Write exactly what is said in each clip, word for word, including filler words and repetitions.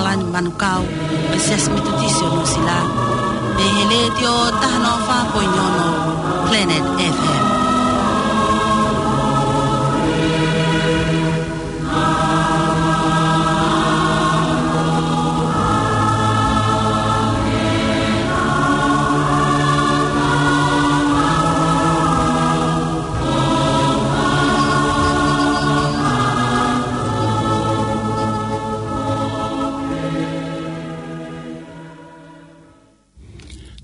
Ani Manukau, ʻo e Siasi Metotisi ʻo Nuʻusila, mei he Letiō taha noa fā poini ono Planet F M.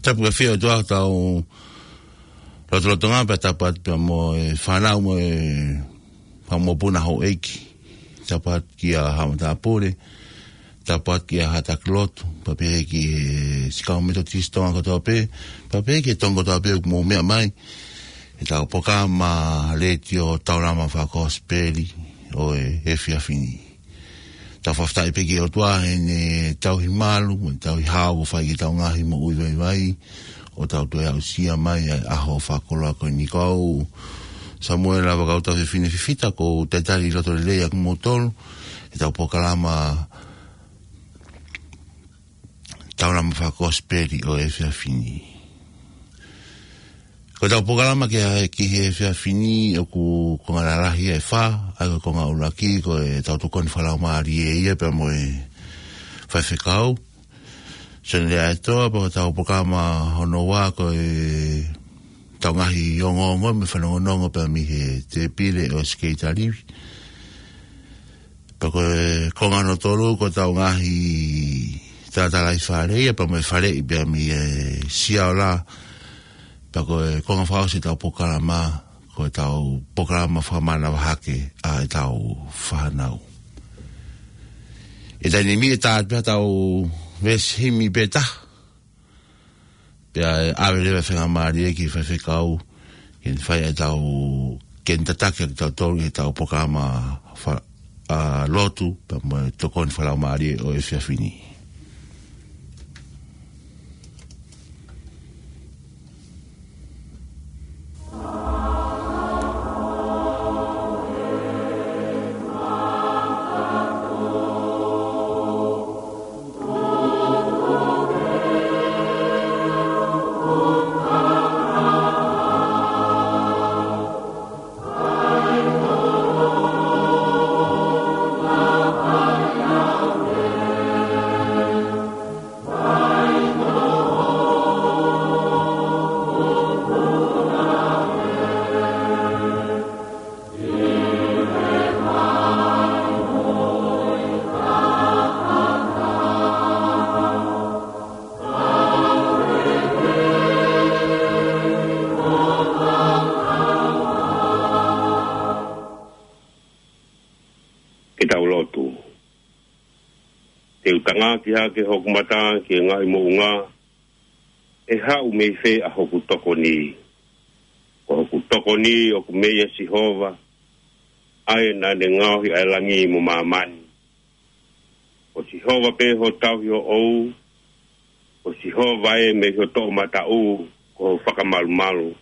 Tapu ke fia ʻOtua tau lotolotonga pea tapu atu pea mo e fānau mo e fāmopuna houʻeiki. Tapu atu kia Haʻa Matāpule, tapu atu kia Haʻa Taki Lotu, pea pehē ki he Sikau Metotisi Tonga kotoa pē, pea pehē ki he Tonga kotoa pē ʻoku mou meʻa mai he tau polokalama letiō Taulama Fakakosipeli ʻo e efiafi ni. Tau fakafetaʻi pē ki he ʻOtua heʻene tauhi malu, mo e tauhi hao kuo fai ki heʻetau ngaahi moʻui vaivai, ʻo tau toe aʻusia mai ʻa e ʻaho fakakoloa ko eni. Ko au Samuela Vakautau Fefine Fifita, ko u talitali loto lelei ʻa kimoutolu he tau polokalama Taulama Fakakosipeli ʻo e efiafi ni. Ko ʻetau polokalama ki he, ki he efiafi ni ʻoku konga lalahi ʻe fā, ʻa ia ko e konga ʻuluaki ko e tau tokoni fakalaumālie ia pea mo e faifekau. Sene Leaetoa, pea ko ʻetau polokalama hono ua ko e tau ngaahi ongoongo mo e fanongonongo pea mei he tēpile ʻo Sikeita Livi. Pea ko e konga hono tolu ko ʻetau ngaahi talatalaifale ia pea mo e faleʻi pea mei he Siaola. Pea ko e konga fakaʻosi ʻetau polokalama, ko ʻetau polokalama fakamanavahake ʻa ʻetau fānau. ʻI he taimi ni ʻe tā atu pē haʻatau veesi himi pē taha. Pea ʻe ʻave leva e faingamālie ki he faifekau ke ne fai ʻetau, ke ne tataki kitautolu ʻi heʻetau polokalama fa-, ʻa, lotu, pea mo e tokoni fakalaumālie ʻo e efiafi ni. Ke tau lotu. Te u tangaki hake hoku mata ki he ngaahi moʻunga, ʻe haʻu mei fē ʻa hoku tokoni? Ko hoku tokoni ʻoku meia Sihova, ʻa ia naʻa ne ngaohi ʻa e langi mo māmani. Ko Sihova pē ho tauhi hoʻou, ko Sihova ē mei ho toʻomataʻu ko ho fakamalumalu.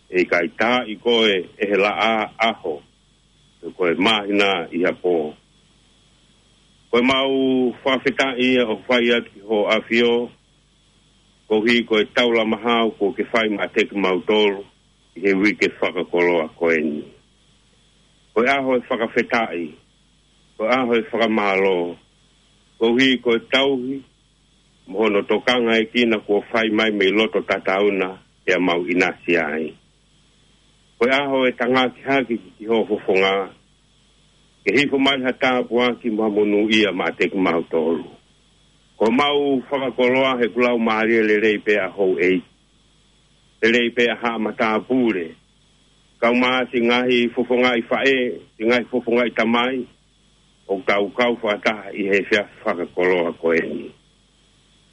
ʻE ʻikai taaʻi koe ʻe he laʻā ʻaho, pe ko e māhina ʻi ha pō. Ko ʻemau fakafetaʻi ia ʻoku fai atu ki hoʻo ʻAfio, koeʻuhi ko e taulama hao kuo ke fai maʻa kimautolu ʻi he uike fakakoloa ko eni. Ko e ʻaho ʻo e fakafetaʻi, ko e ʻaho ʻo e fakamālō, koeʻuhi ko e tauhi mo hono tokangaekina kuo fai mai mei loto tatauna pea mau ʻinasi ai. Ko e ʻaho ʻo e tangaki hake ki, ki ho fofonga, ke hifo mai ha tāpuaki mo ha monūʻia maʻa kimautolu. Ko ʻemau fakakoloa he kuo lau mālie lelei pē ʻa houʻeiki, lelei pē ʻa Haʻa Matāpule, kae ʻumaʻā siʻi ngaahi fofongaʻi faʻē, siʻi ngaahi fofongaʻi tamai, ʻoku tau kau fakataha ʻi he efiafi fakakoloa ko eni.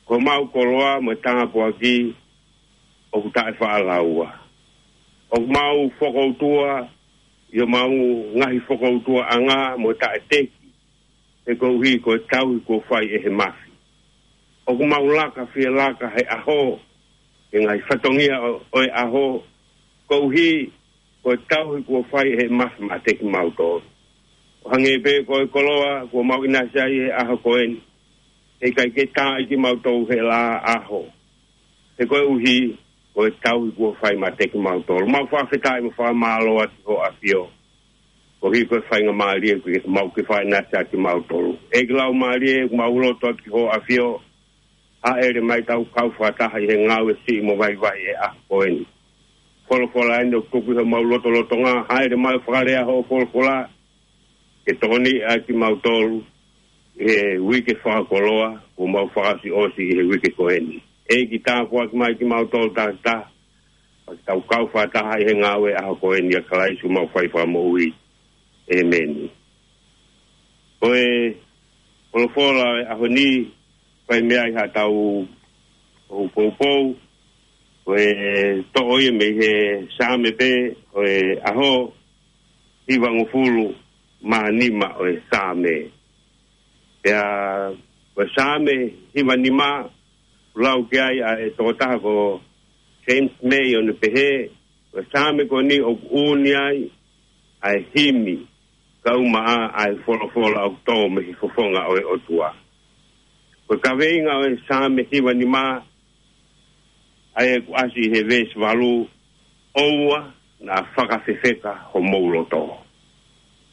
Ko ʻemau koloa mo e tāpuaki ʻoku taʻefaʻalaua. ʻOku mau fokoutua ʻi homau ngaahi fokoutuaʻanga mo taʻeteki, he koeʻuhi ko e tauhi kuo fai ʻe he mafi. ʻOku mau laka fie laka he ʻaho he ngaahi fatongia ʻo, ʻo e ʻaho, koeʻuhi ko e tauhi kuo fai ʻe he mafi maʻa kimautolu. ʻO hangē pē ko e koloa kuo mau ʻinasi ai he ʻaho ko eni, ʻIkai ke tā ʻa kimautolu he laʻā ʻaho. He koeʻuhi, ko e tauhi kuo fai meiate kimautolu. Mau fakafetaʻi mo fakamālō atu ki hoʻo ʻAfio. Koeʻuhi ko e faingamālie kuo mau ke faʻinati ʻa kimautolu. ʻEiki Laumālie, mau lotu atu ki hoʻo ʻAfio. Hāʻele mai tau kau fakataha ʻi he ngāue siʻi mo vaivai e ʻaho ko eni. Folofola eni ʻoku tuku ʻi homau lotolotonga, hāʻele mai fakalea hoʻo folofola, ke tokoniʻi ʻa kimautolu, ʻi he uike fakakoloa, kuo mau fakaʻosiʻosi ʻi he uike ko eni. ʻEiki tāpuaki mai kimautolu takitaha, pea ke tau kau fakataha ʻi he ngāue ʻaho ko eni ʻia Kalaisi homau fai fakamoʻui. ʻEmeni. Ko e folofola ʻo e ʻaho ni, fai mei ai haʻatau poupou, ko e toʻo ia mei he Saame pē, ʻo e ʻaho, hivangofulu mā nima ʻo e Saame. Pea, ko e Saame hiva nima, lau ki ai ʻa e tokotaha ko James May ʻo ne pehē, ko e Saame ko eni ʻoku ʻuni ai, ʻa e himi, kae ʻumaʻā ʻa e folofola ʻoku tō mei he fofonga ʻo e ʻOtua. Ko e kaveinga ʻo e Saame hiva nima, ʻa ia ʻoku ʻasi he veesi valu, ʻOua naʻa fakafefeka homou loto.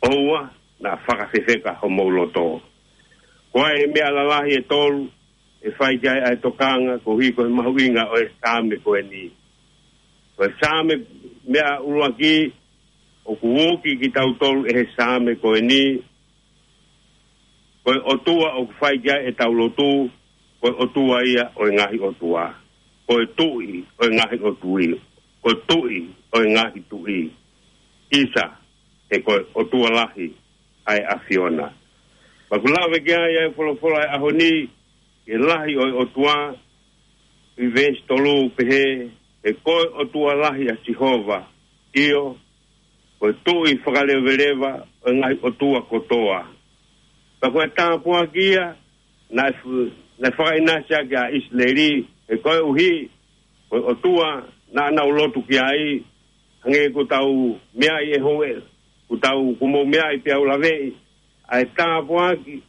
ʻOua naʻa fakafefeka homou loto. Ko e meʻa lalahi ʻe tolu, ʻe fai ki ai ʻa e tokanga, koeʻuhi ko e mahuʻinga ʻo e Saame ko eni. Ko e Saame meʻa ʻuluaki, ʻoku uki kitautolu ʻe he Saame ko eni, ko e ʻOtua ʻoku fai ki ai ʻetau lotu, ko e ʻOtua ia ʻo e ngaahi ʻotua. Ko e Tuʻi ʻo e ngaahi ʻotua. Ko e Tuʻi ʻo e ngaahi tuʻi. ʻIsa, he ko e ʻOtua lahi ʻa e ʻAfiona. Pea ʻoku lave ki ai ʻa e folofola ʻo e ʻaho ni, ʻi he lahi ʻo e ʻOtua, ʻi veesi tolu pehē, he ko e ʻOtua lahi ʻa Sihova, ʻio, ko e Tuʻi fakaleveleva ʻo e ngaahi ʻotua kotoa. Pea ko e tāpuaki ia, naʻe fu-, naʻe fakaʻinasi ʻaki ʻa ʻIsileli, he koeʻuhi, ko e ʻOtua naʻa nau lotu ki ai, hangē ko ʻetau meʻa ʻi he houʻeiki, ko ʻetau kuo mou meʻa ʻi pea u laveʻi, ʻa e tāpuaki,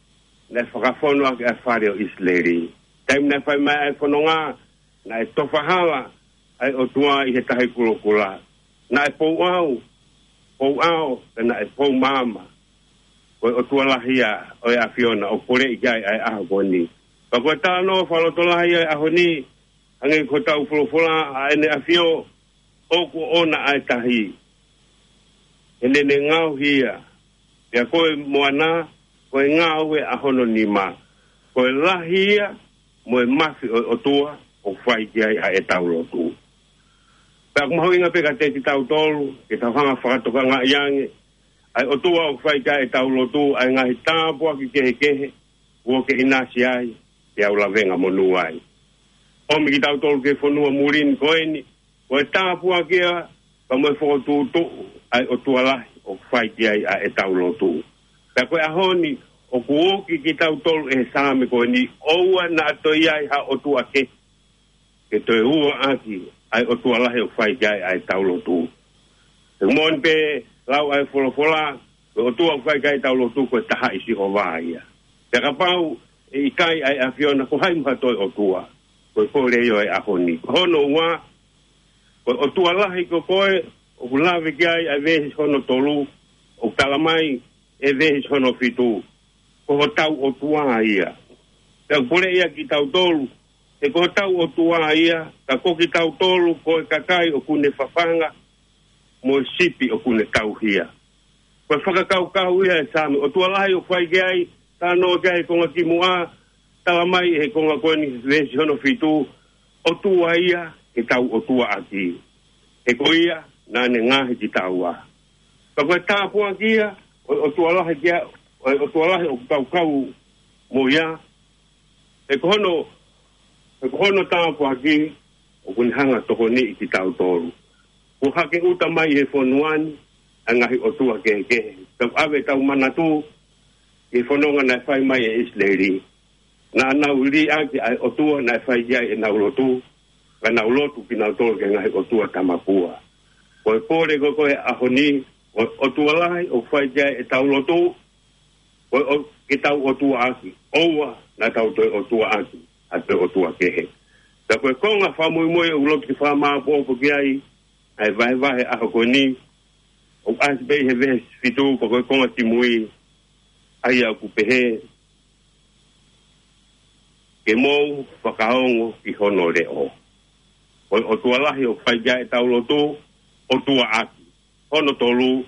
naʻe fakafonu ʻaki ʻa e fale ʻo ʻIsileli. Taimi naʻe fai mai ʻa e fononga, naʻe tofa hala ʻa e ʻOtua ʻi he tahi kulokula. Naʻe pou ʻao, pou ʻao, pea naʻe pou maama. Ko e ʻOtua lahi ia ʻo e ʻAfiona ʻoku poleʻi ki ai ʻa e ʻaho ko eni. Pea ko e talanoa fakalotolahi ʻo e ʻaho ni, hangē ko ʻetau folofola ʻa ʻEne ʻAfio, ʻoku ʻoʻona ʻa e tahi. He naʻa ne ngaohi ia. Pea ko e moana, ko e ngāue ʻa hono nima. Ko e lahi ia, mo e mafi ʻo e ʻOtua, ʻoku fai ki ai ʻa ʻetau lotu. Pea ʻoku mahuʻinga pē kiate kitautolu, ke tau hanga fakatokangaʻi ange, ʻa e ʻOtua ʻoku fai ki ai ʻetau lotu, ʻa e ngaahi tāpuaki kehekehe, kuo ke ʻinasi ai, pea u lavengamonū ai. ʻOmi kitautolu ki he fonua muli ni ko eni, ko e tāpuaki ia, pea mo e fokotuʻutuʻu, ʻa e ʻOtua lahi, ʻoku fai ki ai ʻa ʻetau lotu. Pea ko e ʻaho ni, ʻoku uki kitautolu ʻe he Saame ko eni, ʻoua naʻa toe ʻi ai ha ʻotua kehe, ke toe ua ʻaki, ʻa e ʻOtua lahi ʻoku fai ki ai ʻa ʻetau lotu. He moʻoni pē lau ʻa e folofola, ko e ʻOtua ʻoku fai ki ai ʻetau lotu ko e taha ʻi Sihova ia. Pea kapau ʻe ʻikai ʻa e ʻAfiona ko hai mo ha toe ʻOtua, ko e kole ia ʻo e ʻaho ni. Ko hono ua, ko e ʻOtua lahi ko koe, ʻoku lave ki ai ʻa e veesi hono tolu, ʻoku tala mai ʻe he veesi hono fitu, ko hotau ʻOtua ia. Pea ʻoku poleʻi ia kitautolu, he ko hotau ʻOtua ia, ka ko kitautolu, ko e kakai ʻoku ne fafanga, mo e sipi ʻoku ne tauhi ia. Ko e fakakaukau ia ʻa e Saame, ʻOtua lahi ʻoku fai ki ai, talanoa ki ai he konga kimuʻa, tala mai he konga ko eni veesi hono fitu, ʻOtua ia, ke tau ʻOtua ʻaki. He ko ia, naʻa ne ngaohi kitaua. Ka ko e tāpuaki ia, ʻo, ʻOtua lahi ki ai, ʻo, ʻOtua lahi ʻoku tau kau mo ia, he ko hono, he ko hono tāpuaki, ʻoku ne hanga tokoniʻi kitautolu. Kuo hake ʻuta mai he fonua ni, ʻa e ngaahi ʻotua kehekehe. Tau ʻave ʻetau manatu, he fononga naʻe fai mai ʻe ʻIsileli. Naʻa nau liʻaki ʻa e ʻOtua naʻe fai ki ai ʻenau lotu, ka nau lotu kinautolu ki he ngaahi ʻotua tamapua. Ko e pole ko ē ko e ʻaho ni, ko e ʻOtua lahi ʻoku fai ki ai ʻetau lotu, Ko e ʻo-, ke tau ʻotuaʻaki. ʻOua naʻa tau toe ʻotuaʻaki ʻa e toe ʻotua kehe. Ka ko e konga fakamuimui ʻoku ou loto ke fakamāopoopo ki ai ʻa e vahevahe ʻaho ko eni, ʻoku ʻasi pē ʻi he veesi fitu, pea ko e konga kimui, ʻa ia ʻoku pehē, ke mou fakaongo ki hono leʻo. Ko e ʻotua lahi ʻoku fai ki ai ʻetau lotu, ʻotuaʻaki. Hono tolu,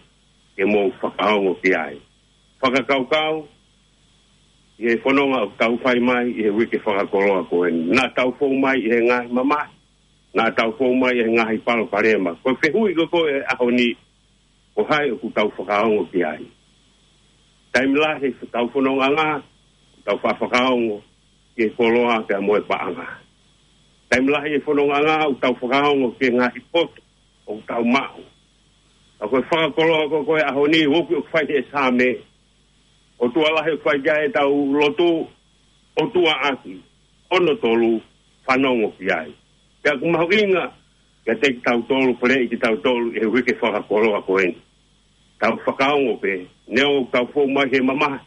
ke mou fakaongo ki ai. Fakakaukau ʻi he fononga ʻoku tau fai mai ʻi he uike fakakoloa ko eni. Naʻa tau fou mai ʻi he ngaahi mamahi, naʻa tau fou mai ʻi he ngaahi palopalema. Ko e fehuʻi ko ē ʻo e ʻaho ni, ko hai ʻoku tau fakaongo ki ai? Taimi lahi ʻi heʻetau fonongaʻanga, tau faʻa fakaongo ki he koloa pea mo e paʻanga. Taimi lahi ʻi he fonongaʻanga ʻoku tau fakaongo ki he ngaahi poto ʻoku tau maʻu. Ka ko e fakakoloa ko ē ʻo e ʻaho ni, ʻoku, ʻoku fai ʻe he Saame, ʻotua lahi ʻoku fai ki ai ʻetau lotu, ʻotuaʻaki. Hono tolu, fanongo ki ai. Pea ʻoku mahuʻinga kiate kitautolu, peleʻi kitautolu ʻi he uike fakakoloa ko eni. Tau fakaongo pē, neongo ʻoku tau fou mai he mamahi,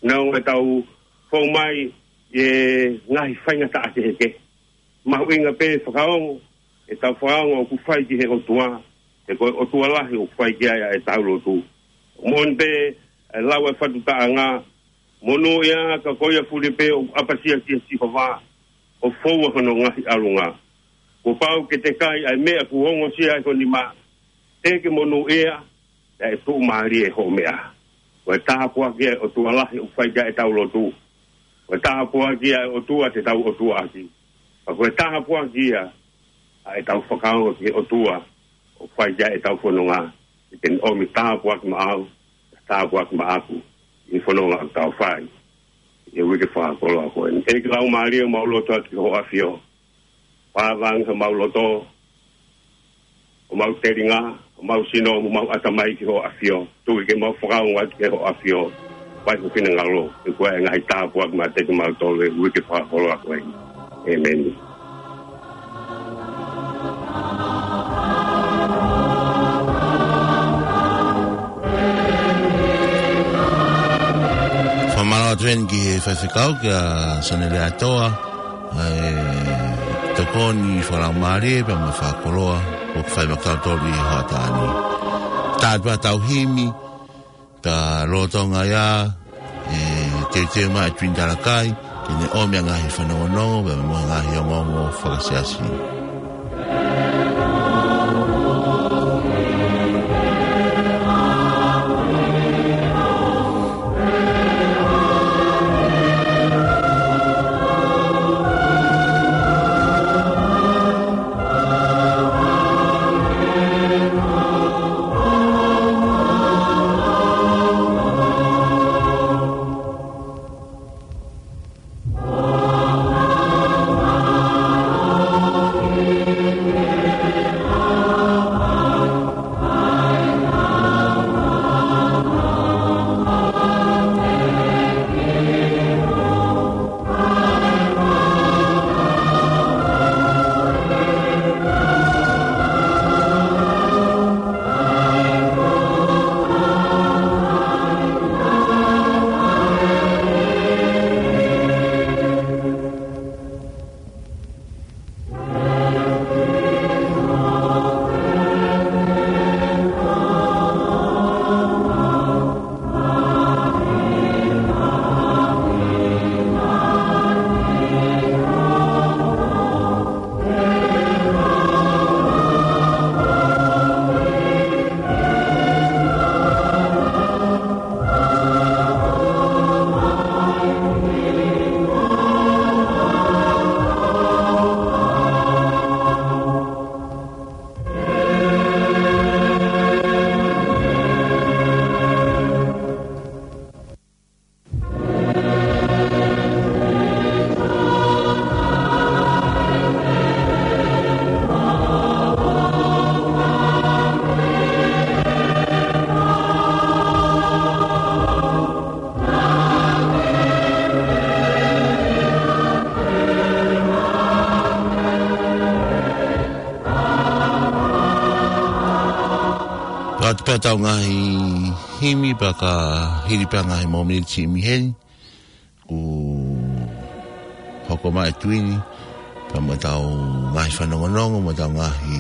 neongo ʻetau fou mai he ngaahi faingataʻa kehekehe. Mahuʻinga pē fakaongo, ʻetau fakaongo ʻoku fai ki he ʻOtua, he ko e ʻotua lahi ʻoku fai ki ai ʻetau lotu. Moʻoni pē, ʻa e lau ʻa e fakataʻanga, monūʻia ka ko ia fuli pē ʻoku ʻapasia kia Sihova, ʻo foua hono ngaahi ʻalunga. Kuo pau ke te kai ʻa e meʻa kuo ongosia ʻe ho nima, te ke monūʻia, ʻa e tuʻumālie hoʻo meʻa. Ko e tāpuaki ia ʻa e ʻOtua lahi ʻoku fai ki ai ʻetau lotu. Ko e tāpuaki ia ʻa e ʻOtua te tau ʻotuaʻaki. Ka ko e tāpuaki ia ʻa ʻetau fakaongo ki he ʻOtua ʻoku fai ki ai ʻetau fononga. ʻE te ne ʻomi tāpuaki maʻau, tāpuaki maʻaku, ʻi he fononga ʻoku tau fai ʻi he uike fakakoloa ko eni. ʻEiki Laumālie, mau lotu atu ki hoʻo ʻAfio. Pavangi homau loto, homau telinga, homau sino, homau ʻatamai ki hoʻo ʻAfio. Tuku ke mau fakaongo atu ki hoʻo ʻAfio. Fai ho finangalo, he ko e ngaahi tāpuaki maʻa kimautolu ʻi he uike fakakoloa ko eni. ʻĒmeni. Fakamālō atu eni ki he faifekau, kia Sonele Atoa, ʻa e tokoni fakalaumālie pea mo e fakakoloa ʻoku fai maʻa kitautolu ʻi he hoʻatā ni. Tātā pē ʻetau himi, ka lolotonga ia ʻe teuteu mai ʻa Twin Talakai ke ne ʻomi ʻa e ngaahi fanongonongo pea mo e ngaahi ongoongo fakasiasi. Pea ʻoatu pē ʻetau ngaahi himi pea ka hili pē ʻa e ngaahi momeniti himi heni, kuo hoko mai ʻa Tuini, pea mo ʻetau ngaahi fanongonongo, mo ʻetau ngaahi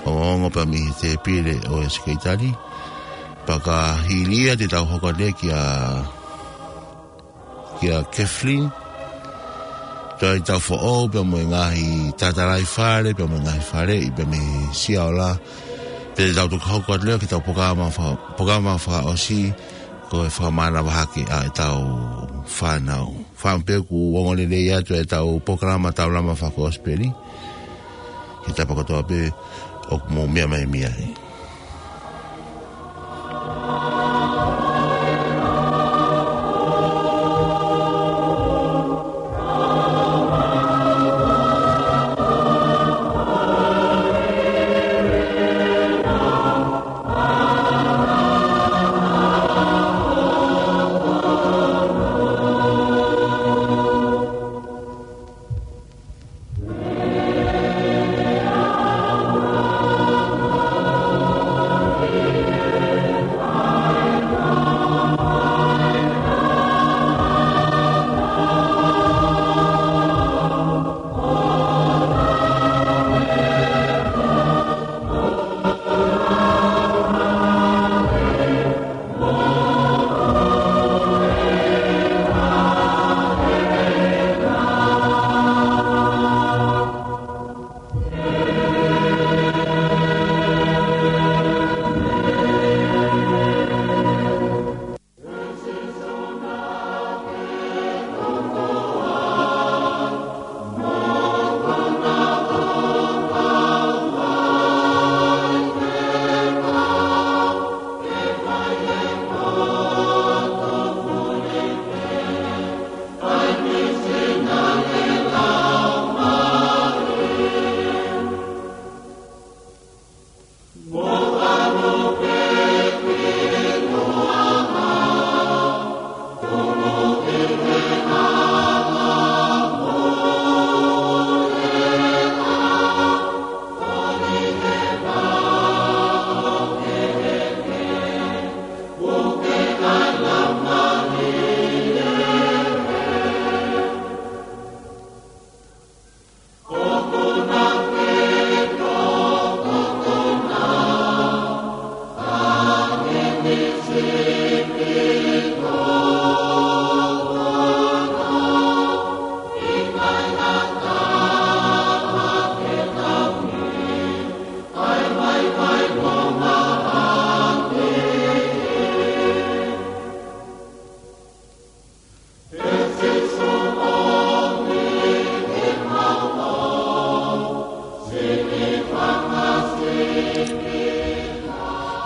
ongoongo pea mei he tēpile ʻo e sekelitali. Pea ka hili ia te tau hoko atu kia, kia Kathleen. Toe ʻetau foʻou pea mo e ngaahi tatalaifale, pea mo e ngaahi faleʻi, pea mei Siaola. Pea te tau toki hoko atu leva ki heʻetau polokalama fa-, polokalama fakaʻosi, ko e fakamānava hake ʻa ʻetau fānau. Fānau pē kuo ongo lelei atu ʻetau polokalama Taulama Fakakosipeli. Ke tapa kotoa pē ʻoku mou meʻa mai mei ai.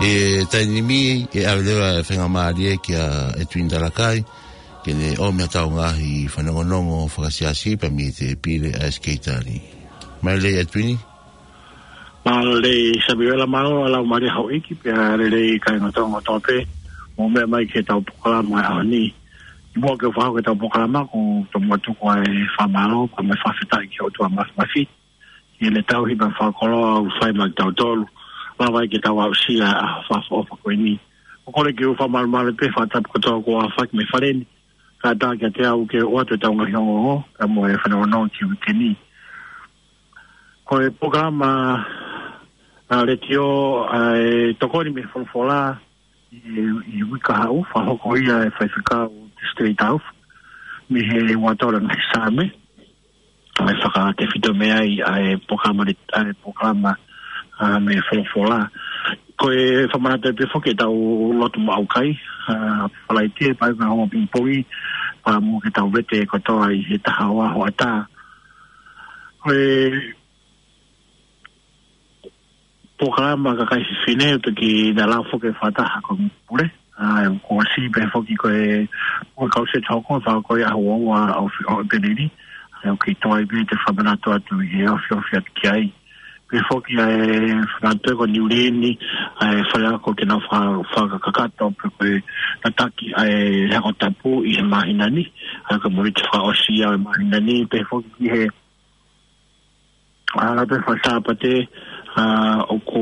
ʻI he taimi ni, ʻe ʻave leva e faingamālie kia Edwin Talakai, ke ne ʻomi ʻetau ngaahi fanongonongo fakasiasi pea mei he tēpile ʻa e sekelitali. Mālō Edwin. Mālō Samiuela, mālō ʻa e laumālie houʻeiki pea lelei kāinga Tonga kotoa pē. Mou meʻa mai ki heʻetau polokalama ʻo e ʻaho ni. ʻI muʻa ke u fakahoko ʻetau polokalama, ʻoku ou tomuʻa tuku ʻa e fakamālō pea mo e fakafetaʻi ki he ʻOtua Māfimafi. Ki heʻene tauhi mo e fakakoloa ʻoku fai maʻa kitautolu. Lava ai ke tau aʻusia ʻa e ʻaho fakaʻofoʻofa ko eni. ʻOku ou kole ke u fakamalumalu pē he fakatapu kotoa kuo aofaki mei fale ni. Kātaki kiate au ke u ʻoatu ʻetau ngaahi ongoongo, pea mo e fanongonongo ki he uike ni. Ko e polokalama ʻa e letiō ʻa e Tokoni mei he Folofola ʻi, ʻi he uike kahaʻu, fakahoko ia ʻe he faifekau State House, mei he ua tolu ngaahi Saame, ʻa e fakatefito mei ai ʻa e polokalama le-, ʻa e polokalama, ʻa, mei he Folofola. Ko e fakamanatu pē foki ʻetau lotu maʻu kai, ʻa, Falaite, pea ʻi ai pē ʻetau houa pingipongi, pea mo ʻetau vete kotoa ʻi he taha ua hoʻatā. Ko e polokalama kakai fefine, ʻoku toki na lau foki fakataha ko e pule. ʻA, ʻoku ʻosi pē foki ko e, ko e kau seti hoko, fakahoko ia he ua ua ʻo ʻEpi-, ʻo ʻEpeleli. ʻA, ʻoku kei toe pē te u fakamanatu atu ʻi he ofiofi atu ki ai. Pea foki ʻa e fakamanatu ko Niu Lini, ʻa e faleako ke nau faka-, fakakakato, pea ko e tataki ʻa e Ako Tapu ʻi he māhina ni. ʻA, ko e Mōnite fakaʻosi ia ʻo e māhina ni, pea foki ki he ʻa, lau pē faka-Sāpate, ʻa, ʻoku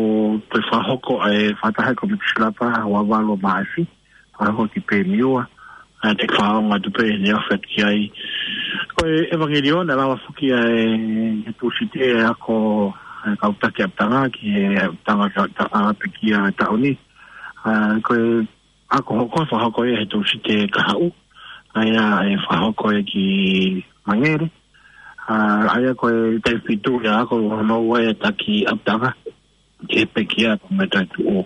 toe fakahoko ʻa e fakataha ʻa e Kōmiti Silapa ʻo e valu ʻo Maʻasi, fakahoko ki Pemiua, ʻa, te u fakaongo atu pē ʻene ʻofa ki ai. Ko e ʻevangeliō naʻe lava foki ʻa e, he Tūsite ʻa e ako ʻa e kau taki ʻapitanga ki he ʻapitanga ki he ʻapitanga pekia taʻu ni. ʻA, ko e ako hoko, fakahoko ia he Tūsite kahaʻu, ʻa ia ʻe fakahoko ia ki Mangere. ʻA, ʻa ia ko e taʻu fitu ia ako hono ua ʻa e taki ʻapitanga ki he pekia pea mo e taʻu tuʻu.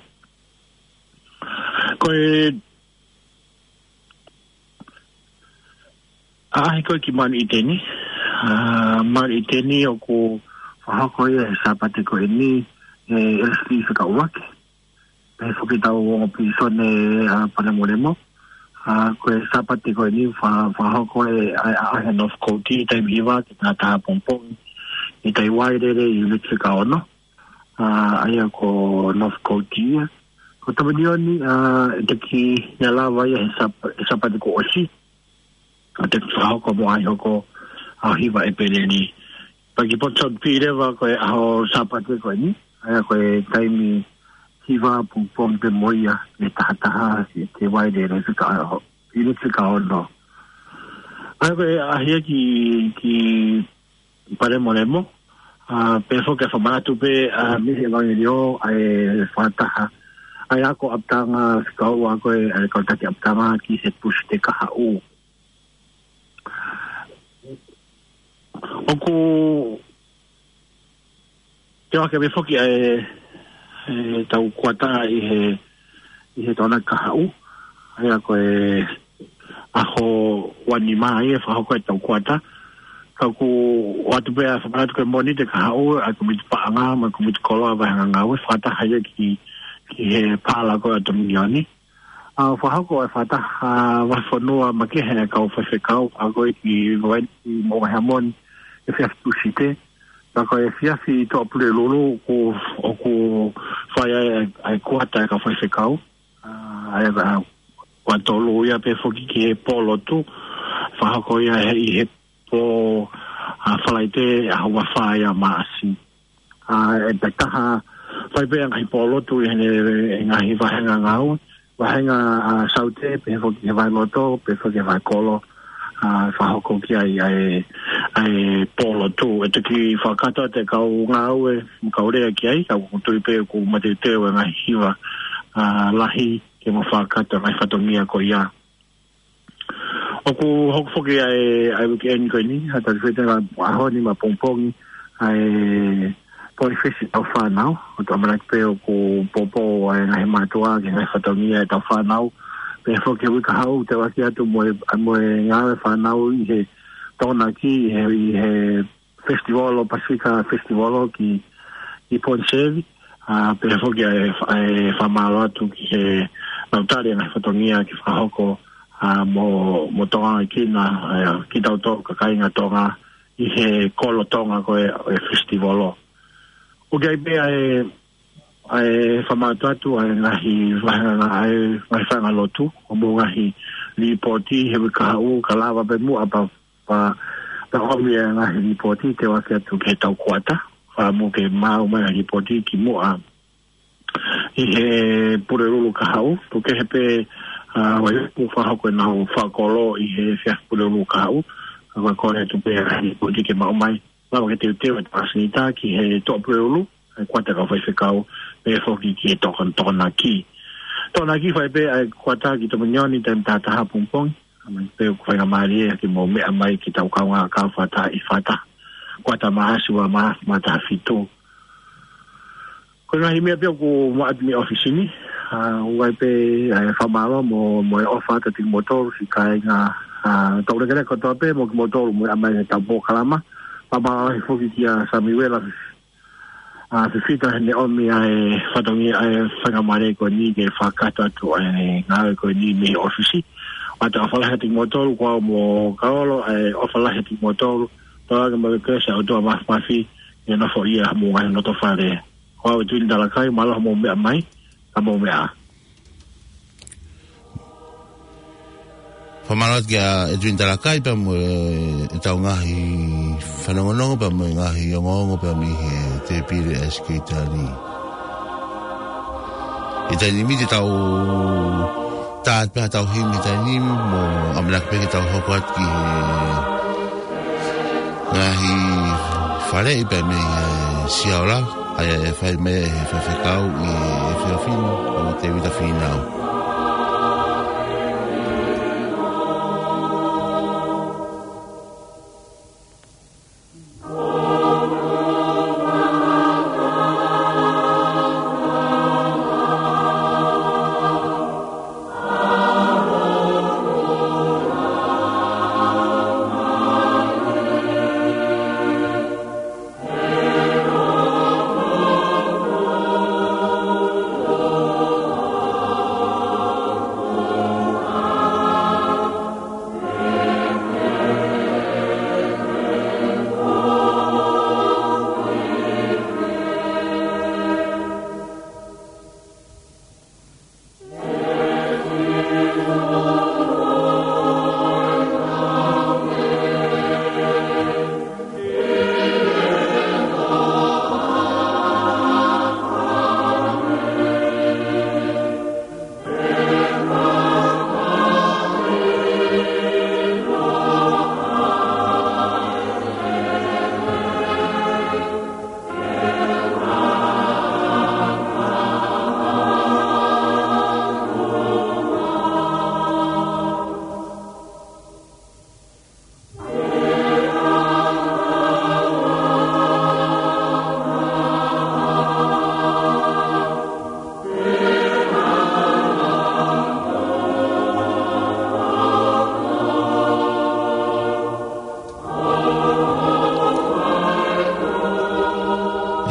Ko e ʻaʻahi ko ē ki Manuʻiteni, ʻa, Manuʻiteni ʻoku fakahoko ia he Sāpate ko eni, ʻe L C Fekauʻaki. Pehē foki ʻetau ongo pīsone, ʻa, Palemolemo. ʻA, ko e Sāpate ko eni fa-, fakahoko e, ʻa, ʻa, ʻa e North Coast, taimi hiva ki he taha pongipongi. ʻI Taiwailele, ʻi Uniti Fika Ono. ʻA, ʻa ia ko North Coast ia. Ko Tominioni, ʻa, ʻe toki naʻe lava ia he Sāp-, he Sāpate kuo ʻosi. ʻA, te fakahoko mo ʻaʻahi hoko ʻaho hiva ʻEpeleli. Pea ki Ponsonby leva ko e ʻaho Sāpate ko eni. ʻA ia ko e taimi hiva pongipongi pē mo ia ki he taha taha ki he Taiwailele Fika Ono, Uniti Fika Ono. ʻA ia ko e ʻaʻahi ia ki, ki Palemolemo, ʻa, pehē foki ʻa e fakamanatu pē, ʻa, mei he ʻevangeliō, ʻa e fakataha ʻa e ako ʻapitanga fika ua ko ē, ʻa e kau taki ʻapitanga ki he Tūsite kahaʻu. ʻOku toe ʻohake mai foki ʻa e, ʻetau kuata ʻi he, ʻi he Tokonaki kahaʻu. ʻA ia ko e ʻaho ua nima ia ʻe fakahoko ʻetau kuata. Ka ʻoku ʻoatu pē ʻa e fakamanatu ko e Mōnite kahaʻu, ʻa e Kōmiti Paʻanga mo e Kōmiti Koloa Vāhenga Ngāue, fakataha ia ki, ki he paala ko ē ʻa Tominioni. ʻA, fakahoko ʻa e fakataha vahefonua makehe ʻa e kau faifekau, ʻa ko ē ki Vaini mo Vaheamoni, efiafi Tūsite. Pea ko e efiafi Tuʻapulelulu ʻoku, ʻoku fai ai ʻa e, ʻa e kuata ʻa e kau faifekau. ʻA, ʻa e, ʻa, ua tolu ia pē foki ki he pō lotu, fakahoko ia he, ʻi he pō, ʻa, Falaite, ʻaho ua fā ia Maʻasi. ʻA, ʻe taha, fai pē ʻa e ngaahi pō lotu ʻi heʻene, ʻi he ngaahi vāhenga ngāue, vāhenga, ʻa, Saute, pehē foki he Vaheloto, pehē foki he Vahekolo, ʻa, fakahoko ki ai ʻa e, ʻa e pō lotu. ʻE toki fakakakato atu e kau ngāue, mo e kau lea ki ai, ka ʻoku ou tui pē ʻoku mateuteu e ngaahi hiva, ʻa, lahi, ke mo fakakakato e ngaahi fatongia ko ia. ʻOku hoko foki ʻa e, ʻa e weekend ko eni, ʻa e tali fete ngā ʻaho ni mo e pongipongi, ʻa e Poifesi ʻa e fānau, ʻoku ʻamanaki pē ʻoku poupou ʻa e ngaahi mātuʻa ki he ngaahi fatongia ʻetau fānau. Pehē foki he uike kahaʻu, toe ʻohake atu mo e, mo e ngāue fānau ʻi he Tokonaki, ʻi he, ʻi he festival, ʻo Pasifika Festival ki, ki Ponsonby. ʻA, pehē foki ʻa e, ʻa e fakamālō atu ki he lautali ʻa e ngaahi fatongia ke fakahoko, ʻa, mo, mo Tonga ki na, ʻa, kitautolu kāinga Tonga ʻi he kolo Tonga ko ē ʻo e festival. ʻOku ʻi ai pē ʻa e, ʻa e fakamālō atu ʻa e ngaahi vāhenga, ʻa e ngaahi vāhenga lotu, ʻo mo e ngaahi līpooti he uike kahaʻu, ka lava pē muʻa pea pea, pea ʻomi e ngaahi līpooti, toe ʻohake atu ki heʻetau kuata. Fakaʻamu ke maʻu mai e līpooti kimuʻa ʻi he Pulelulu kahaʻu. Tuku kehe pē, ʻa, ʻa ia ʻoku fakahoko ʻenau fakakolo ʻi he efiafi Pulelulu kahaʻu. Ka ko e kole atu pē e ngaahi līpooti ke maʻu mai. Lava ke teuteu e tokāteline ki he Tuʻapulelulu, ʻa e kuata ʻa e kau faifekau, pehē foki ki he Toko-, Tokonaki. Tokonaki fai pē ʻa e kuata ki Tominioni taimi taha taha pongipongi. ʻAmanaki pē ʻoku faingamālie ke mou meʻa mai ki heʻetau kaungā kahaʻu fakataha ʻi he fakataha kuata Maʻasi ua mā, mā taha fitu. Ko e ngaahi meʻa pē ʻoku maʻu atu mei he ʻōfisi ni, ʻa, ʻoku ʻi ai pē ʻa e fakamālō mo, mo e ʻofa atu kiate kimoutolu siʻi kāinga, ʻa, tau lekeleka kotoa pē mo kimoutolu mou meʻa mai ki heʻetau polokalama. Fakamālō lahi foki kia Samiuela, ʻa, Fifita heʻene ʻomi ʻa e fatongia, ʻa e faingamālie ko eni ke fakakakato atu ʻa e ngāue ko eni mei he ʻōfisi. ʻOatu e ʻofa lahi atu kiate kimoutolu, ko au mo Kaolo, ʻa e ʻofa lahi atu kiate kimoutolu, tauange mo e kelesi ʻa e ʻOtua Māfimafi ke nofoʻia homou ngaahi loto fale. Ko au ʻEtuini Talakai, mālō hoʻomou meʻa mai, ka mou meʻa ā. Fakamālō atu kia ʻEtuini Talakai pea mo e, ʻetau ngaahi fanongonongo pea mo e ngaahi ongoongo pea mei he Tēpile ʻa e Sekelitali. ʻI he taimi ni te tau tā atu pē haʻatau himi he taimi ni mo ʻamanaki pē ke tau hoko atu ki he ngaahi faleʻi pea mei he Siaola, ʻa ia ʻe fai mai ʻe he faifekau ʻi he efiafi ni, ʻa Tēvita Fīnau.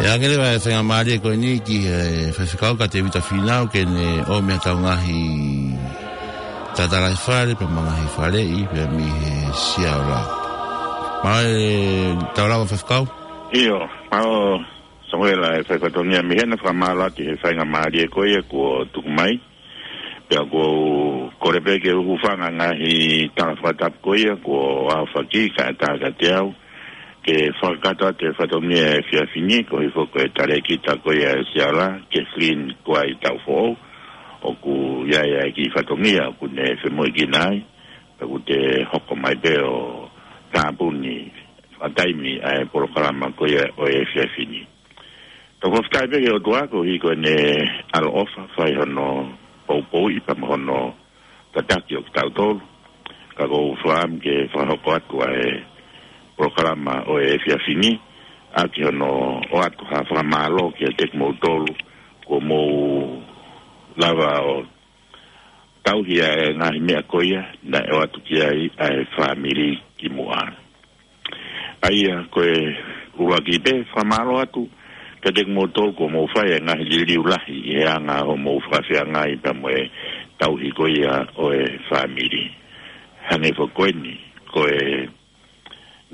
ʻE ʻange leva e faingamālie ko eni ki he faifekau ko Tēvita Fīnau ke ne ʻomi haʻatau ngaahi tatalaifale pea mo e ngaahi faleʻi pea mei he Siaola. Mālō e tau lava faifekau. ʻIo, mālō Samuela e fai fatongia mei hena, fakamālō atu he faingamālie ko ia kuo tuku mai. Pea ʻoku ou kole pē ke u hūfanga he ngaahi tala fakatapu ko ia kuo ʻohofaki kae ʻatā kiate au ke fakakakato atu e fatongia he efiafi ni, koeʻuhi foki ko e talēkita ko ia e Siaola, Kathleen Kuai Taufoʻou, ʻoku ʻi ai ʻa e kiʻi fatongia ʻoku ne femoʻuekina ai, pea ʻoku te hoko mai pē ʻo tāpuni fakataimi ʻa e polokalama ko ia ʻo e efiafi ni. Tau fakafetaʻi pē ki he ʻOtua koeʻuhi ko ʻene ʻaloʻofa fai hono poupouʻi pea mo hono tataki ʻo kitautolu. Ka ʻoku ou fakaʻamu ke fakahoko atu ʻa e polokalama ʻo e efiafi ni, ʻaki hono ʻoatu ha fakamālō kiate kimoutolu kuo mou lava ʻo tauhi ʻa e ngaahi meʻa ko ia naʻe ʻoatu ki ai ʻa e fāmili kimuʻa. ʻA ia ko e ʻuluaki pē, fakamālō atu kiate kimoutolu kuo mou fai e ngaahi liliu lahi ʻi he anga hoʻomou fakafeangai pea mo e tauhi ko ia ʻo e fāmili. Hangē foki ko eni, ko e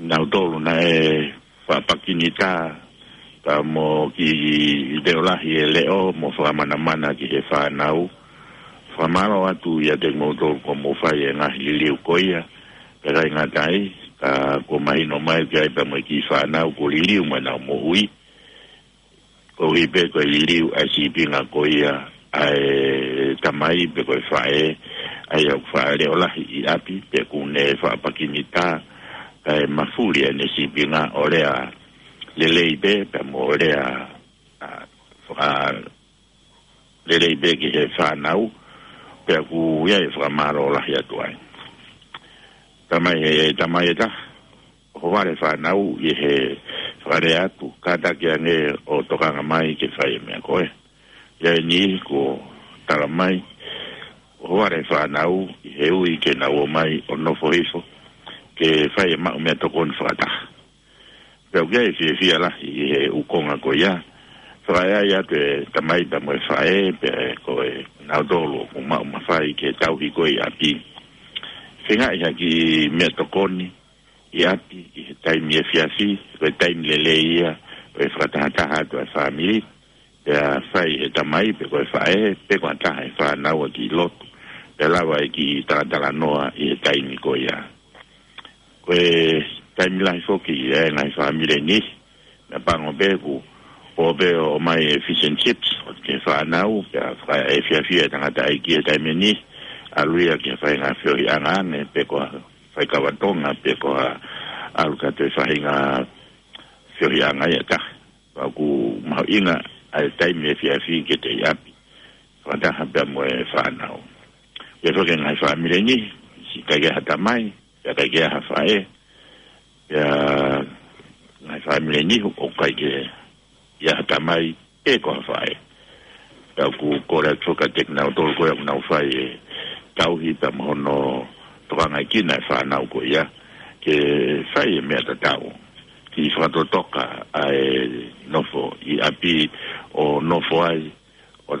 nautolu naʻe faʻa pakinitā pea mo kiʻi leʻo lahi e leʻo mo fakamanamana ki he fānau. Fakamālō atu ʻiate kimoutolu kuo mou fai e ngaahi liliu ko ia, pea ʻikai ngata ai, ka kuo mahino mai ki ai pea mo e kiʻi fānau kuo liliu mo ʻenau moʻui. Koeʻuhi pē ko e liliu ʻa e sīpinga ko ia ʻa e tamai pe ko e faʻē, ʻa ia ʻoku faʻa leʻo lahi ʻi ʻapi, pea ʻoku ne faʻa pakinitā, kae mafuli ʻene sīpinga ʻo lea lelei pē, pea mo lea, ʻa, faʻa lelei pē ki he fānau, pea ʻoku ʻi ai e fakamālō lahi atu ai. Tamai he, tamai ʻe taha, ʻohovale fānau ʻi he fakalea atu, kātaki ange ʻo tokanga mai ke fai e meʻa ko ē. ʻI ai e niʻihi kuo tala mai, ʻohovale fānau ʻi he ui ke nau ō mai ʻo nofo hifo, ke fai e maʻu meʻatokoni fakataha. Pea ʻoku ʻi ai e fiefia lahi ʻi he ʻū konga ko ia. Fakaʻeʻai atu e tamai pea mo e faʻē, pea ko e nautolu ʻoku maʻu mafai ke tauhi ko ē ʻi ʻapi. Feingaʻi ha kiʻi meʻatokoni ʻi ʻapi ʻi he taimi efiafi, ko e taimi lelei ia ʻo e fakatahataha atu ʻa e fāmili, pea fai ʻe he tamai pe ko e faʻē, pe ko ha taha ʻi he fānau ʻa e kiʻi lotu, pea lava e kiʻi talatalanoa ʻi he taimi ko ia. Ko e taimi lahi foki ʻi he ngaahi fāmili ni, meʻapango pē ʻoku Pō pē ʻo ʻomai e fish and chips, ʻo ke fānau, pea fakaefiafi e tangataʻeiki he taimi ni, ʻalu ia ki he faʻahinga feohiʻanga ange, pe ko ha faikava Tonga, pe ko ha ʻalu ki ha toe faʻahinga feohiʻanga ia taha. Pea ʻoku mahuʻinga ʻa e taimi efiafi ke te ʻi ʻapi. Fakataha pea mo e fānau. Pea foki e ngaahi fāmili ni, siʻi ʻikai ke ʻi ai ha tamai, pea ʻikai ke ʻi ai ha faʻē, pea ngaahi fāmili ni ʻoku ʻikai ke ʻi ai ha tamai pe ko ha faʻē. Pea ʻoku kole atu foki kiate kinautolu ko ia ʻoku nau fai e tauhi pea mo hono tokangaʻi kinautolu e fānau ko ia ke fai e meʻa tatau. Kiʻi fakatotoka ʻa e nofo ʻi ʻapi ʻo nofo ai ʻo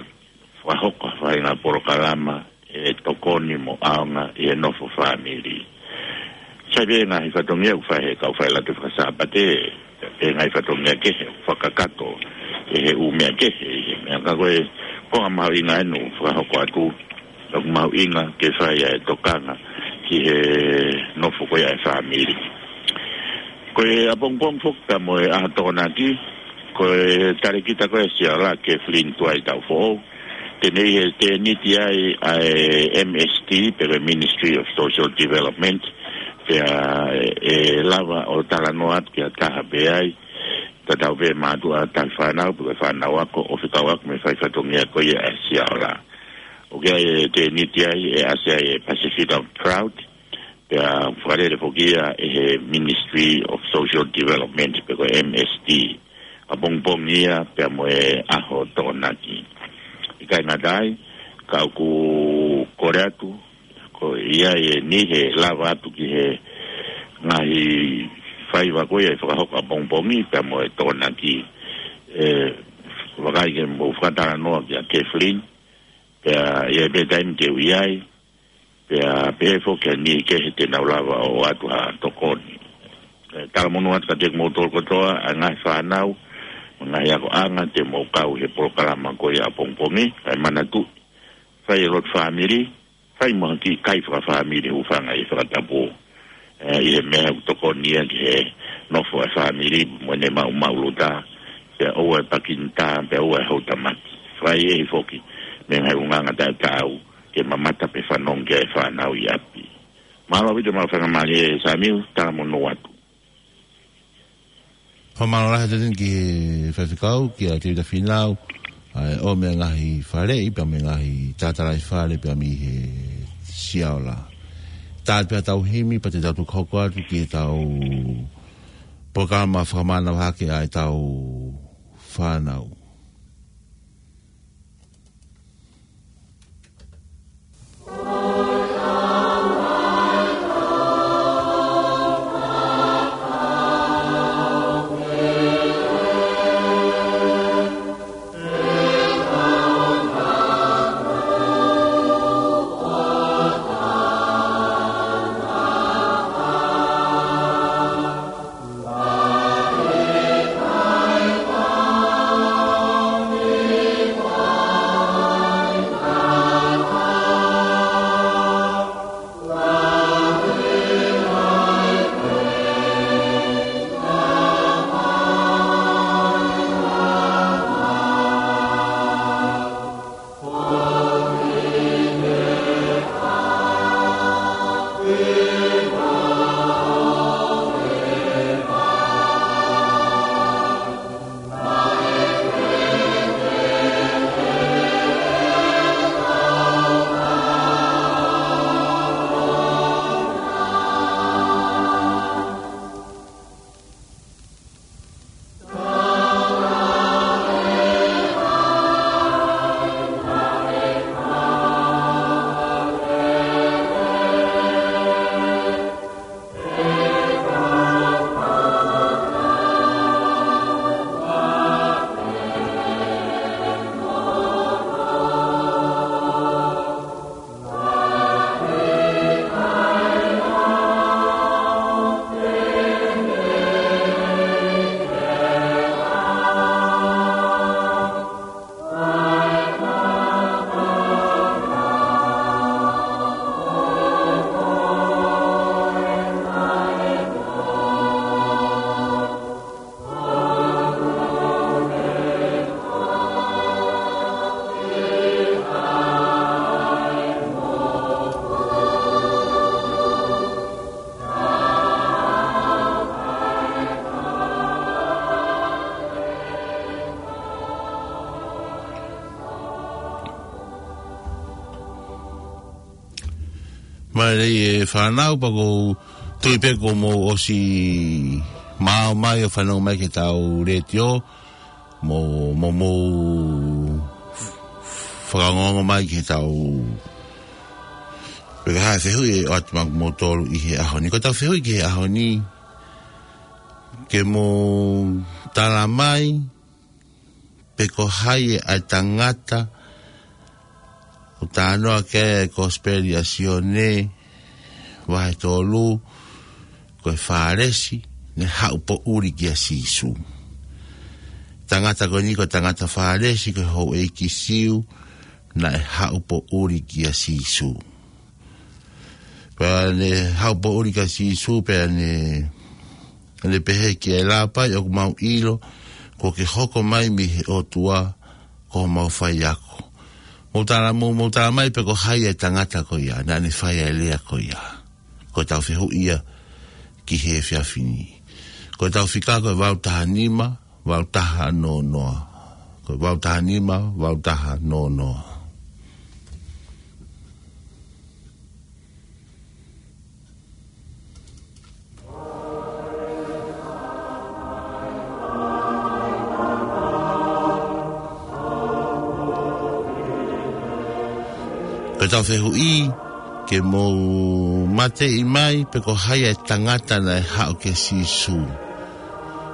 fakahoko ha faʻahinga polokalama ʻe tokoni mo ʻaonga ʻi he nofo fāmili. Sai pē ngaahi fatongia ʻoku fai he kau faiʻanga faka-Sāpate, pe ngaahi fatongia kehe ʻoku fakakakato ʻe he ʻū meʻa kehe ʻi he meʻa ka ko e konga mahuʻinga ʻeni ʻoku fakahoko atu, ʻoku mahuʻinga ke fai ʻa e tokanga ki he nofo ko ia ʻa e fāmili. Ko e ʻapongipongi foki pea mo e ʻaho Tokonaki, ko e talēkita ko ia ʻa Siaola, Kathleen Tuai Taufoʻou, te ne ʻi he tēniti ai ʻa e M S D, pe ko e Ministry of Social Development, pea ʻe lava ʻo talanoa atu ki ha taha pē ai, tatau pē mātuʻa tauhi fānau, pe ko e fānau ako, ʻo fekau ako mo e fai fatongia ko ia ʻa Siaola. ʻOku ʻi ai e tēniti ai, ʻe ʻasi ai e Pasifika Proud, pea fakalele foki ia ʻe he Ministry of Social Development, pe ko e M S D. ʻApongipongi ia pea mo e ʻaho Tokonaki. ʻIkai ngata ai, ka ʻoku kole atu, ko ia ʻe niʻihi ʻe lava atu ki he ngaahi faiva ko ia ʻe fakahoko ʻapongipongi pea mo e Tokonaki. ʻE, vakai ke mou fakatalanoa kia Kathleen, pea ʻi ai pē taimi te u ʻi ai, pea pehē foki ʻa e niʻihi kehe te nau lava ʻo ʻoatu ha tokoni. ʻE, talamonū atu kiate kimoutolu kotoa, ʻa e ngaahi fānau, mo e ngaahi akoʻanga te mou kau he polokalama ko ia ʻapongipongi, kae manatuʻi, fai e lotu fāmili, fai mo ha kiʻi kai fakafāmili hūfanga ʻi he fakatapu. ʻE, ʻi he meʻa ʻoku tokoni ia ki he nofo ʻa e fāmili mo ʻene maʻumaʻuluta, pea ʻoua ʻe pakinita, pea ʻoua ʻe houtamaki. Fai ʻe he foki, mo e ngaahi ʻulungaanga taʻetaau, ke mamata pe fanongo ki ai e fānau ʻi ʻapi. Mālō ʻaupito mo e faingamālie Samiu, talamonū atu. Fakamālō lahi atu ki he faifekau, kia Tevita Fīnau, ʻa e ʻomi e ngaahi faleʻi, pea mo e ngaahi tātālaʻi fale, pea mei he Siaola. Tau pea tau himi, pea te tau tuku hoko atu ki he tau polokalama fakamānava hake ʻa e tau fānau. Mālō e fānau, pea ʻoku ou tui pē kuo mou ʻosi maʻu mai ʻo fanongo mai ki heʻetau letiō, mo, mo mou fakaongoongo mai ki heʻetau, pe ko e hā e fehuʻi ʻe ʻoatu maʻa kimoutolu ʻi he ʻaho ni. Ko ʻetau fehuʻi ki he ʻaho ni, ke mou tala mai pe ko hai ʻa e tangata ʻoku talanoa ki ai e Kosipeli ʻa Sione vahe tolu, ko e Fālesi naʻe haʻu poʻuli kia Sīsū. Tangata ko eni ko e tangata Fālesi, ko e houʻeiki Siu naʻe haʻu poʻuli kia Sīsū. Pea ne haʻu poʻuli kia Sīsū, pea ne, ne pehē ki ai, Lāpai, ʻoku mau ʻilo kuo ke hoko mai mei he ʻOtua ko homau faiako. Mou tala, mou, mou tala mai pe ko hai e tangata ko ia naʻa ne fai e lea ko ia. Ko ʻetau fehuʻi ia ki he efiafi ni. Ko ʻetau fika ko e valu taha nima, valu taha noa noa. Ko e valu taha nima, valu taha noa noa. Ko ʻetau fehuʻi, ke mou mateʻi mai pe ko hai e tangata naʻe haʻu kia Sīsū.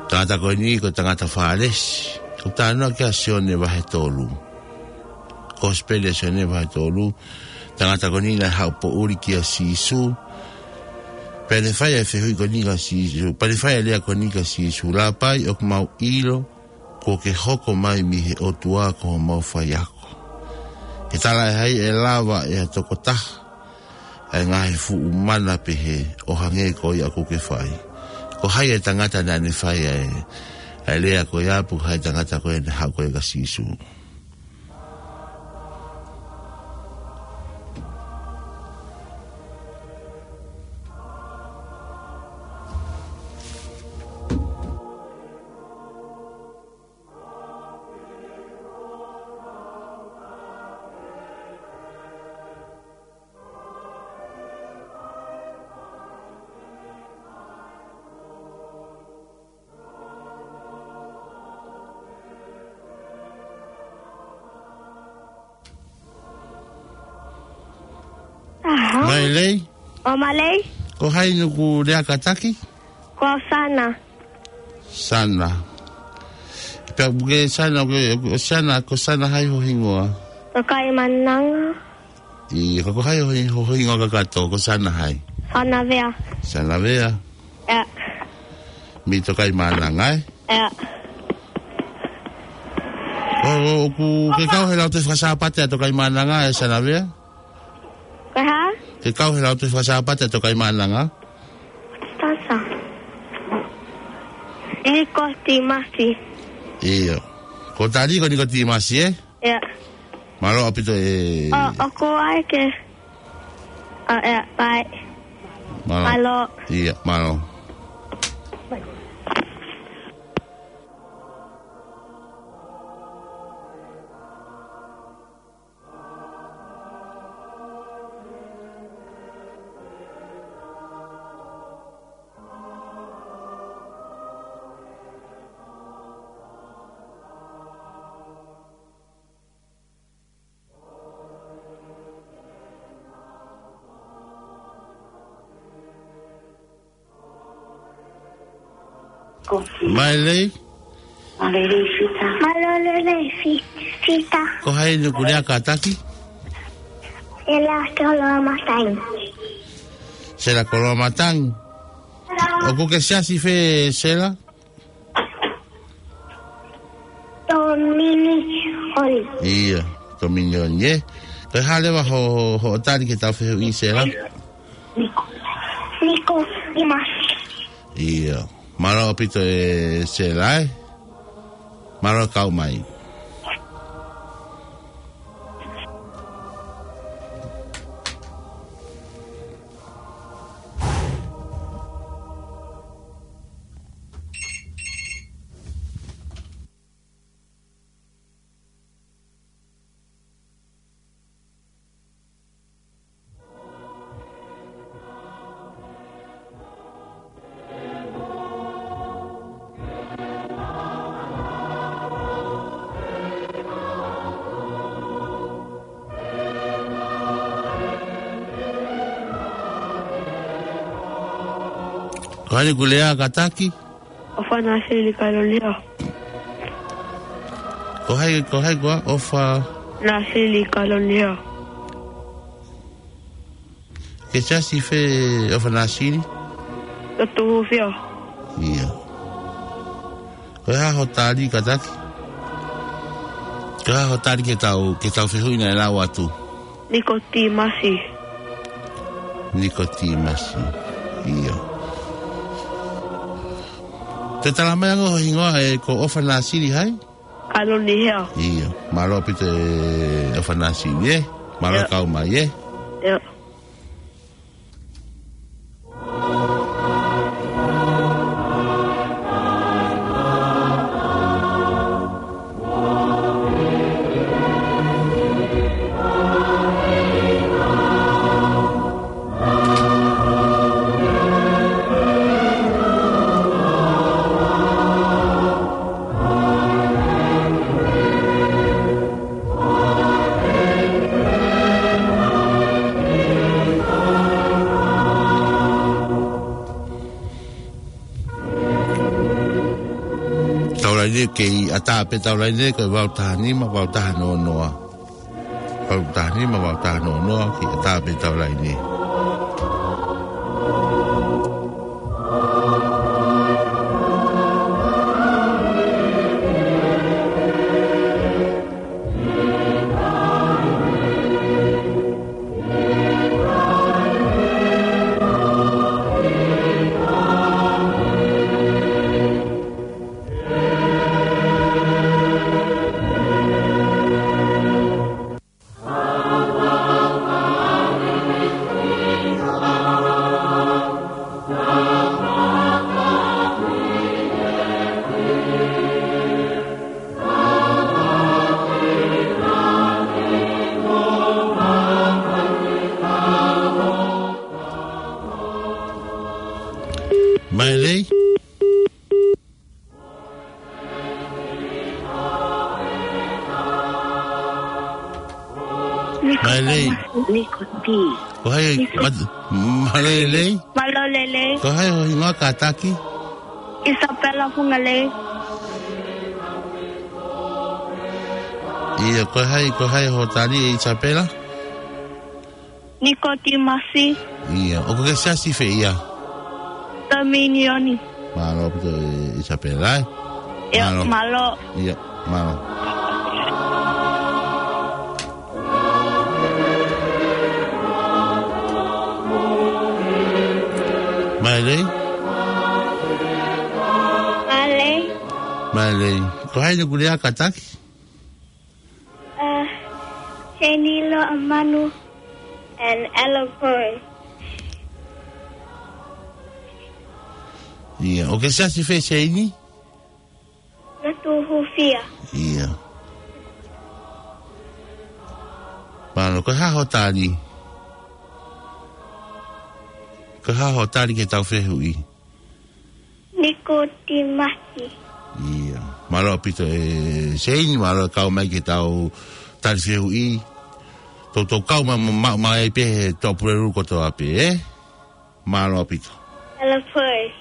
Tangata ko eni ko e tangata Fālesi. ʻOku talanoa ki ai ʻa Sione vahe tolu. Kosipeli ʻa Sione vahe tolu. Tangata ko eni naʻe haʻu poʻuli kia Sīsū. Pea ne fai e fehuʻi ko eni kia Sīsū. Pea ne fai e lea ko eni kia Sīsū, Lāpai, ʻoku mau ʻilo kuo ke hoko mai mei he ʻOtua ko homau faiako. He talaʻehai ʻe lava ʻe ha tokotaha ʻa e ngaahi fuʻu mana pehē ʻo hangē ko ia ʻoku ke fai? Ko hai e tangata naʻa ne fai ʻa e, ʻa e lea ko ia, pe ko hai e tangata ko ia naʻe haʻu ko ia kia Sīsū? Aha. Mālō. ʻO mālō. Ko hai ʻoku lea kātaki? Ko Sana. Sana. Pea ʻoku ke Sana, ʻoku ke, ʻoku Sana, ko Sana hai ho hingoa? Tokaimaʻananga. ʻIo, ka ko hai ho, ho hingoa kakato, ko Sana hai? Sanavea. Sanavea. ʻIo. Mei Tokaimaʻananga, ē? ʻIo. ʻO, ʻo, ʻoku ke kau he lautohi fakasāpate ʻa Tokaimaʻananga, ē Sanavea? Ko e hā? Ke kau he lautohi fakasāpate ʻa Tokaimaʻananga? Tasa. Nikotimasi. ʻIo. Ko Tali ko Nikotimasi, ē? ʻIo. Mālō ʻaupito e. ʻO, ʻoku ai ke. ʻO, ʻio, bye. Mālō. Mālō. ʻIo, mālō. Mālō. Mālō Lelei Fita. Mālō Lelei Fi-, Fita. Ko hai ʻoku lea kātaki? Sela Koloamatangi. Sela Koloamatangi. ʻOku ke siasi fē, Sela? Tōminioni. ʻIo, Tōminioni, ē. Ko e hā leva ho, ho, hoʻo tali ki heʻetau fehuʻi, Sela? Niko. Nikotimasi. ʻIo. Mālō ʻaupito e Sela, ē. Mālō kau mai. Ko hai ʻoku lea kātaki? ʻOfa Nāsili Kalonihea. Ko hai, ko hai koā? ʻOfa Nāsili Kalonihea. Ke siasi fē ʻOfa Nāsili? Lotu Hūfia. ʻIo. Ko e hā hoʻo tali kātaki? Ko e hā hoʻo tali ki heʻetau, ki heʻetau fehuʻi naʻe lau atu? Nikotīmasi. Nikotīmasi. ʻIo. Te tala mai ange ho hingoa ē, ko ʻOfa Nāsili hai? Kalonihea. ʻIo. Mālō ʻaupito ʻe ʻOfa Nāsili ē. Mālō ʻIo. Kau mai ē. ʻIo. Taulaʻeiki, kei ʻatā pē taulaʻeiki, ko e valu taha nima, valu taha noa noa. Valu taha nima, valu taha noa noa, kei ʻatā pē taulaʻeiki. Mailei? Mailei. Niko T. Ko hai, Niko. Mat-, Mailei? Mālō e lelei. Ko hai ho hingoa kātaki? Isabella Fungalei. ʻIo, ko hai, ko hai hoʻo tali ʻe Isabella? Nikotīmasi. ʻIo, ʻoku ke siasi fē ia? Dominioni. Mālō ʻaupito ʻe Isabella ē. ʻIo, mālō. Mālō. ʻIo, mālō. Mailei? Mailei. Mailei. Ko hai ʻoku lea kātaki? Uh, Senilo Amanu and Ella Perez. ʻIo, ʻoku ke siasi fē Seini? Lotu Hūfia. ʻIo. Mālō, ko e hā hoʻo tali? Ko e hā hoʻo tali ki heʻetau fehuʻi? Nikotīmasi. ʻIo. Mālō ʻaupito ʻe Seini, mālō e kau mai ki heʻetau tali fehuʻi. Toutou kau mai mo, ma, mai pē he Tuʻapulelulu kotoa pē, ē? Mālō ʻaupito. Ella Perez.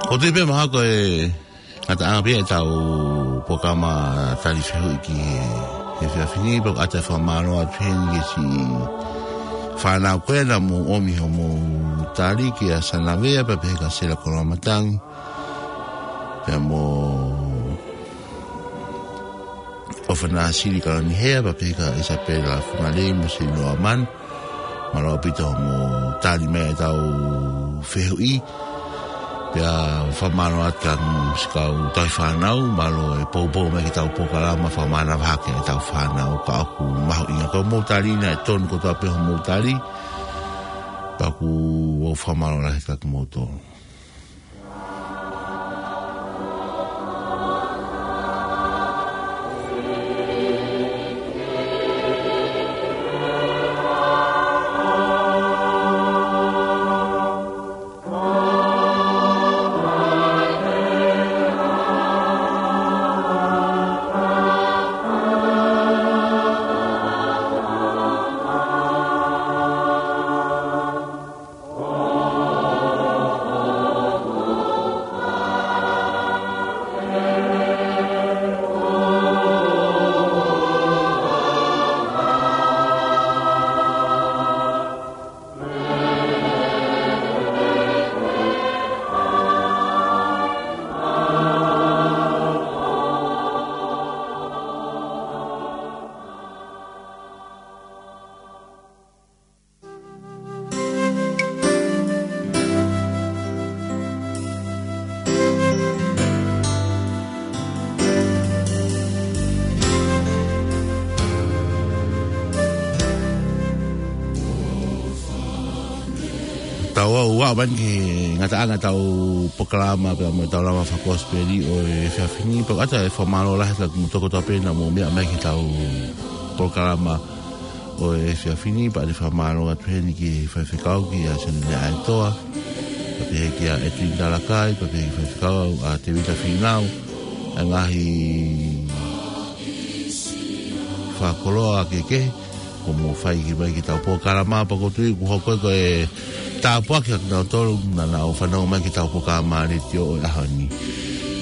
ʻOku tui pē mahalo ko e ngataʻanga pē ia ʻetau polokalama tali fehuʻi ki he, he efiafi ni, pea ʻoku ʻoatu e fakamālō atu heni ki he siʻi fānau ko ē naʻa mou ʻomi hoʻomou tali, kia Sanavea, pea pehē kia Sela Koloamatangi, pea mo ʻOfa Nāsili Kalonihea, pea pehē kia Isabella Fungalei mo Senilo Amanu. Mālō ʻaupito hoʻomou tali mai ʻetau fehuʻi. Pea fakamālō atu kia siʻi kau tauhi fānau, mālō e poupou mai ki heʻetau polokalama, fakamānava hake ʻetau fānau, ka ʻoku mahuʻinga ko hoʻomou tali, naʻe tonu kotoa pē hoʻomou tali. Pea ʻoku ou fakamālō lahi atu kiate kimoutolu. Tau ʻalu atu eni ki he ngataʻanga ʻetau polokalama pea mo ʻetau lama fakakosipeli ʻo e efiafi ni, pea ʻoatu e fakamālō lahi atu kiate kimoutolu kotoa pē naʻa mou meʻa mai ki heʻetau polokalama ʻo e efiafi ni, pea ʻoatu e fakamālō atu heni ki he faifekau kia Sione Leaʻaetoa, pea pehē kia ʻEtuini Talakai, pea pehē ki he faifekau ʻa Tēvita Fīnau, ʻa e ngaahi fakakoloa kehekehe kuo mou fai ki mai ki heʻetau polokalama, pea ʻoku ou tui kuo hoko ia ko e tāpuaki kiate kinautolu naʻa nau fanongo mai ki heʻetau polokalama letiō ʻo e ʻaho ni.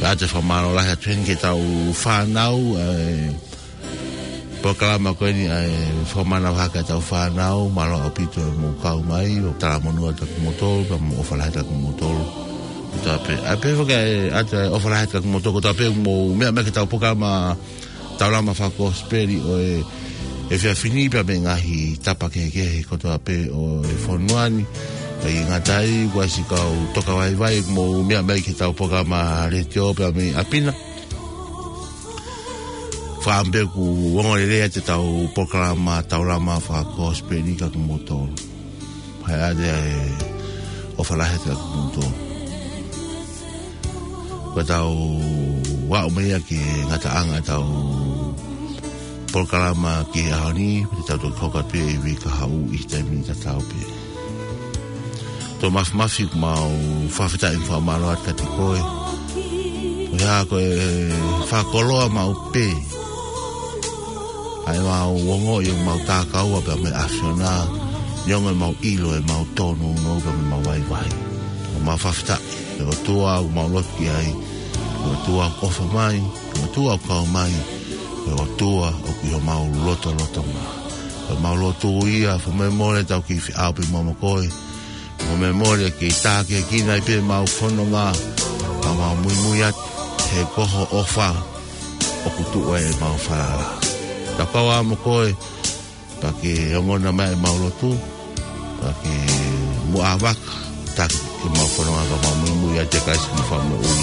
Pea ʻoatu e fakamālō lahi atu heni ki heʻetau fānau, ʻa e polokalama ko eni ʻa e fakamanavahē ki heʻetau fānau, mālō ʻaupito hoʻomou kau mai, ʻo talamonū atu kiate kimoutolu, pea mo e ʻofa lahi atu kiate kimoutolu kotoa pē. ʻA ia pehē foki ʻa e, ʻoatu e ʻofa lahi atu kiate kimoutolu kotoa pē, mou meʻa mai ki heʻetau polokalama, ʻetau lama fakakosipeli ʻo e efiafi ni pea mei he ngaahi tapa kehekehe kotoa pē ʻo e fonua ni. ʻIkai ngata ai, kuo ʻi ai siʻi kau toka vaivai ʻoku mou meʻa mai ki heʻetau polokalama letiō pea mei ʻapi na. Fakaʻamu pē ʻoku ongo lelei atu ʻetau polokalama, ʻetau lama fakakosipeli kiate kimoutolu. Pea ʻoatu e ʻofa lahi atu kiate kimoutolu. Pea tau ʻalu mai ia ki he ngataʻanga ʻetau polokalama ki he ʻaho ni, pea te tau toki hoko atu pē ʻi he uike kahaʻu ʻi he taimi tatau pē. Tō Mafimafi, ʻoku mau fakafetaʻi mo fakamālō atu kiate koe. Ko ia ko e fakakoloa maʻu pē ʻa ʻemau ongoʻi ʻemau takaua pea mo e ʻAfiona, neongo ʻemau ʻilo ʻemau tōnounou pea mo ʻemau vaivai. ʻOku mau fakafetaʻi, ko e ʻOtua ʻoku mau lotu ki ai, ko e ʻOtua ʻoku ʻofa mai, ko e ʻOtua ʻoku kau mai, ko e ʻOtua ʻoku ʻi homau lotolotonga. Ko ʻemau lotu ia, fakamolemole ʻetau kiʻi feʻao pē mo koe, fakamolemole ke tākiekina ai pē ʻemau fononga, ka mau muimui atu, he ko ho ʻofa ʻoku tuʻu ai ʻemau falala. Tau kau ā mo koe, pea ke ongona mai ʻemau lotu, pea ke muʻa vaka, taki ʻemau fononga ka mau muimui atu kia Kalaisi ko homau Fakamoʻui.